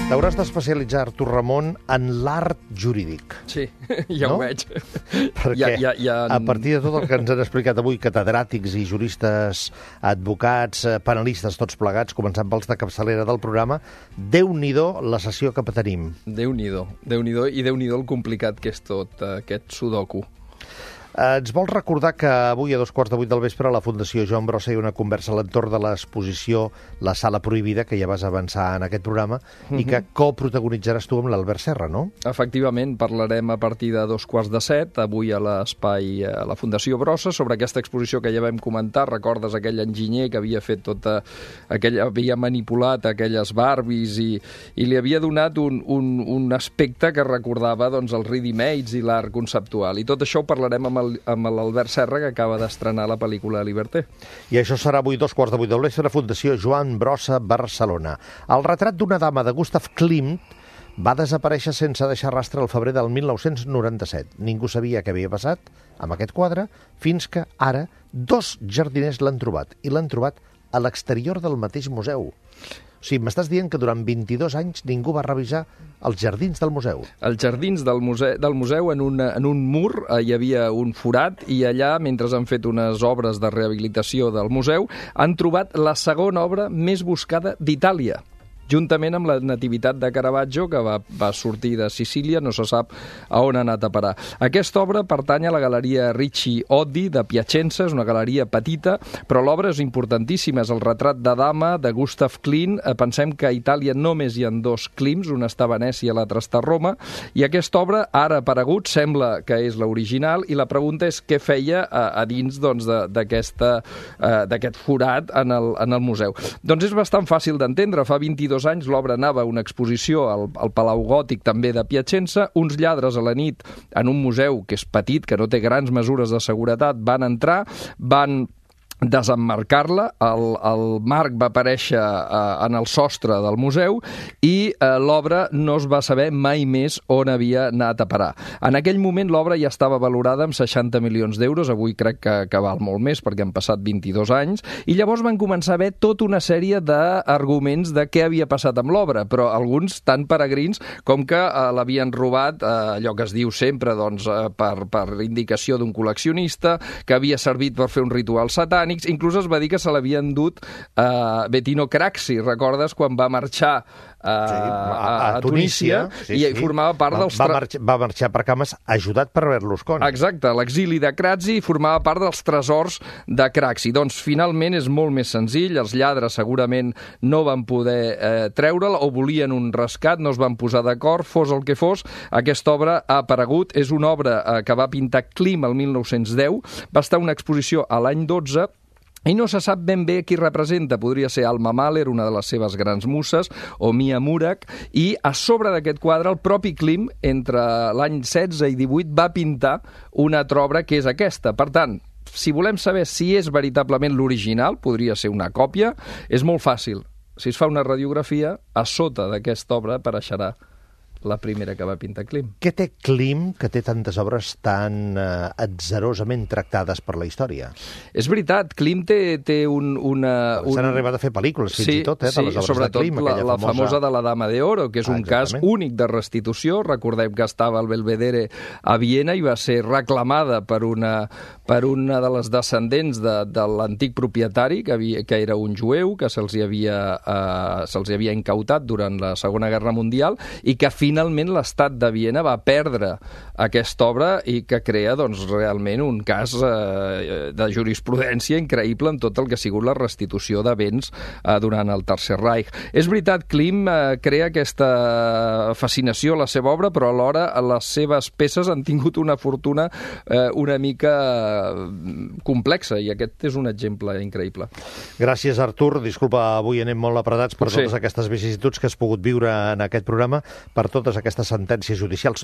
T'hauràs d'especialitzar, Artur Ramon, en l'art jurídic. Sí, ja ho veig. Perquè a partir de tot el que ens han explicat avui, catedràtics i juristes, advocats, panelistes, tots plegats, començant pels de capçalera del programa, Déu-n'hi-do la sessió que tenim. Déu-n'hi-do, i Déu-n'hi-do el complicat que és tot aquest sudoku. Ens vols recordar que avui a 2:15 del vespre a la Fundació Joan Brossa hi ha una conversa a l'entorn de l'exposició La Sala Prohibida, que ja vas avançar en aquest programa, i que coprotagonitzaràs tu amb l'Albert Serra, no? Efectivament, parlarem a partir de 6:45, avui a l'espai a la Fundació Brossa, sobre aquesta exposició que ja vam comentar. Recordes aquell enginyer que havia fet havia manipulat aquelles Barbies i li havia donat un aspecte que recordava els ready-mades i l'art conceptual. I tot això ho parlarem amb l'Albert Serra, que acaba d'estrenar la pel·lícula Liberté. I això serà avui 2:15 del vespre, Fundació Joan Brossa, Barcelona. El retrat d'una dama de Gustav Klimt va desaparèixer sense deixar rastre el febrer del 1997. Ningú sabia què havia passat amb aquest quadre, fins que ara 2 jardiners l'han trobat, i l'han trobat a l'exterior del mateix museu. O sigui, m'estàs dient que durant 22 anys ningú va revisar els jardins del museu. Els jardins del museu en un mur hi havia un forat, i allà, mentre han fet unes obres de rehabilitació del museu, han trobat la segona obra més buscada d'Itàlia, juntament amb la Nativitat de Caravaggio, que va sortir de Sicília, no se sap a on ha anat a parar. Aquesta obra pertany a la Galeria Ricci Oddi de Piacenza, és una galeria petita, però l'obra és importantíssima, és el retrat de dama de Gustav Klimt. Pensem que a Itàlia només hi ha 2 Klimts, un està a Venècia i l'altre està a Roma, i aquesta obra, ara aparegut, sembla que és l'original, i la pregunta és què feia a dins d'aquest forat en el museu. Doncs és bastant fàcil d'entendre. Fa 22 anys l'obra anava a una exposició al Palau Gòtic, també de Piacenza. Uns lladres a la nit, en un museu que és petit, que no té grans mesures de seguretat, van entrar, van desemmarcar-la, el marc va aparèixer en el sostre del museu, i l'obra no es va saber mai més on havia anat a parar. En aquell moment l'obra ja estava valorada amb 60 milions d'euros, avui crec que val molt més perquè han passat 22 anys, i llavors van començar a haver tota una sèrie d'arguments de què havia passat amb l'obra, però alguns tan peregrins com que l'havien robat, allò que es diu sempre, per indicació d'un col·leccionista, que havia servit per fer un ritual satànic. Inclús es va dir que se l'havien dut Bettino Craxi, recordes, quan va marxar a Tunísia, i formava part dels... Va marxar per cames ajudat per Berlusconi. Exacte, l'exili de Craxi formava part dels tresors de Craxi. Doncs finalment és molt més senzill, els lladres segurament no van poder treure'l, o volien un rescat, no es van posar d'acord, fos el que fos, aquesta obra ha aparegut. És una obra que va pintar Klimt el 1910, va estar una exposició a l'any 12, i no se sap ben bé qui representa. Podria ser Alma Mahler, una de les seves grans muses, o Mia Murach, i a sobre d'aquest quadre el propi Klimt, entre l'any 16 i 18, va pintar una altra obra que és aquesta. Per tant, si volem saber si és veritablement l'original, podria ser una còpia, és molt fàcil. Si es fa una radiografia, a sota d'aquesta obra apareixerà la primera que va pintar Klimt. Què té Klimt, que té tantes obres tan atzerosament tractades per la història? És veritat, Klimt té una... S'han arribat a fer pel·lícules, fins i tot, de les obres de Klimt. Sobretot la famosa de la Dama de Oro, que és un cas únic de restitució. Recordem que estava al Belvedere a Viena i va ser reclamada per una de les descendents de l'antic propietari, que era un jueu, que se'ls havia incautat durant la Segona Guerra Mundial, i que finalment l'estat de Viena va perdre aquesta obra, i que crea realment un cas de jurisprudència increïble en tot el que ha sigut la restitució de béns durant el Tercer Reich. És veritat, Klimt crea aquesta fascinació a la seva obra, però alhora les seves peces han tingut una fortuna una mica complexa, i aquest és un exemple increïble. Gràcies, Artur. Disculpa, avui anem molt apretats per totes aquestes vicissituds que has pogut viure en aquest programa, per totes aquestes sentències judicials.